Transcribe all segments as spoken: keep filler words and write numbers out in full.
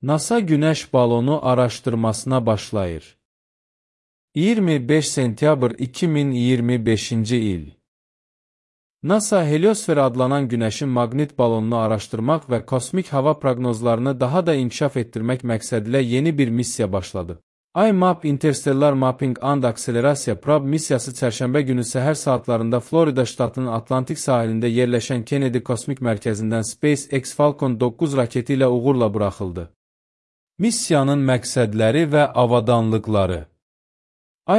NASA Günəş balonu araşdırmasına başlayır. iyirmi beş sentyabr iki min iyirmi beşinci il. NASA heliosfer adlanan Günəşin maqnit balonunu araşdırmaq və kosmik hava proqnozlarını daha da inkişaf etdirmək məqsədilə yeni bir missiya başladı. IMAP Interstellar Mapping and Acceleration Probe missiyası çərşənbə günü səhər saatlarında Florida ştatının Atlantik sahilində yerləşən Kennedy Kosmik Mərkəzindən SpaceX Falcon doqquz raketi ilə uğurla buraxıldı. Missiyanın məqsədləri və avadanlıqları.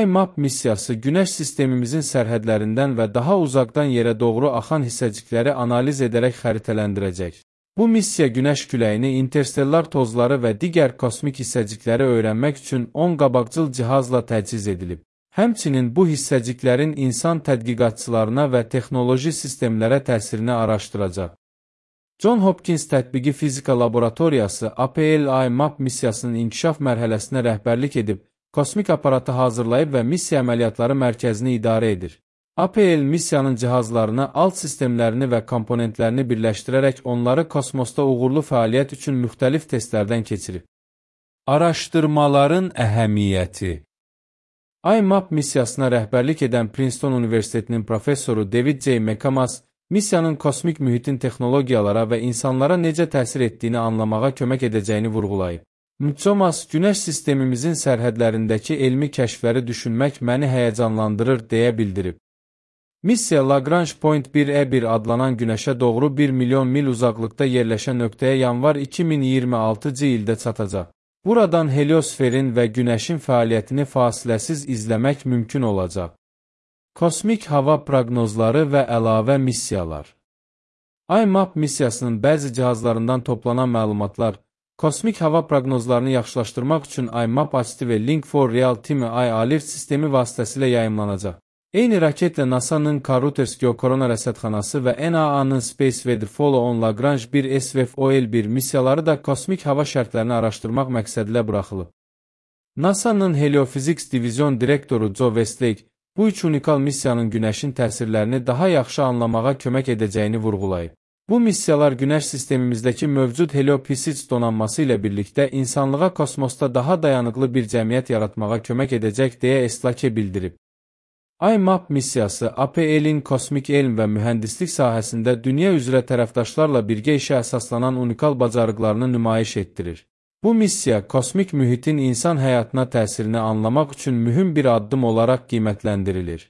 IMAP missiyası Günəş sistemimizin sərhədlərindən və daha uzaqdan yerə doğru axan hissəcikləri analiz edərək xəritələndirəcək. Bu missiya Günəş küləyini, interstellar tozları və digər kosmik hissəcikləri öyrənmək üçün on qabaqcıl cihazla təchiz edilib. Həmçinin bu hissəciklərin insan tədqiqatçılarına və texnoloji sistemlərə təsirini araşdıracaq. John Hopkins Tətbiqi Fizika Laboratoriyası A P L IMAP missiyasının inkişaf mərhələsinə rəhbərlik edib, kosmik aparatı hazırlayıb və missiya əməliyyatları mərkəzini idarə edir. A P L missiyanın cihazlarını, alt sistemlərini və komponentlərini birləşdirərək onları kosmosda uğurlu fəaliyyət üçün müxtəlif testlərdən keçirib. Araşdırmaların əhəmiyyəti. IMAP missiyasına rəhbərlik edən Princeton Universitetinin professoru David J. McCamas, missiyanın kosmik mühitin texnologiyalara və insanlara necə təsir etdiyini anlamağa kömək edəcəyini vurğulayıb. McCamas, Günəş sistemimizin sərhədlərindəki elmi kəşfləri düşünmək məni həyəcanlandırır, deyə bildirib. Missiya Lagrange Point bir E bir adlanan Günəşə doğru bir milyon mil uzaqlıqda yerləşən nöqtəyə yanvar iki min iyirmi altıncı ildə çatacaq. Buradan heliosferin və Günəşin fəaliyyətini fasiləsiz izləmək mümkün olacaq. Kosmik hava proqnozları və əlavə missiyalar. IMAP missiyasının bəzi cihazlarından toplanan məlumatlar, kosmik hava proqnozlarını yaxşılaşdırmaq üçün IMAP Active Link for Real Time I Alert sistemi vasitəsilə yayımlanacaq. Eyni raketlə NASA'nın Karuters Geokorona rəsədxanası və N A A-nın Space Weather Follow-on Lagrange bir S V F O L bir missiyaları da kosmik hava şərtlərini araşdırmaq məqsədilə buraxılıb. NASA'nın Heliophysics Divizyon direktoru Joe Westlake, bu üç unikal missiyanın Günəşin təsirlərini daha yaxşı anlamağa kömək edəcəyini vurğulayıb. Bu missiyalar Günəş sistemimizdəki mövcud heliophysics donanması ilə birlikdə insanlığa kosmosda daha dayanıqlı bir cəmiyyət yaratmağa kömək edəcək, deyə Estlake bildirib. IMAP missiyası A P L-in kosmik elm və mühəndislik sahəsində dünya üzrə tərəfdaşlarla birgə işə əsaslanan unikal bacarıqlarını nümayiş etdirir. Bu missiya, kosmik mühitin insan həyatına təsirini anlamaq üçün mühüm bir addım olaraq qiymətləndirilir.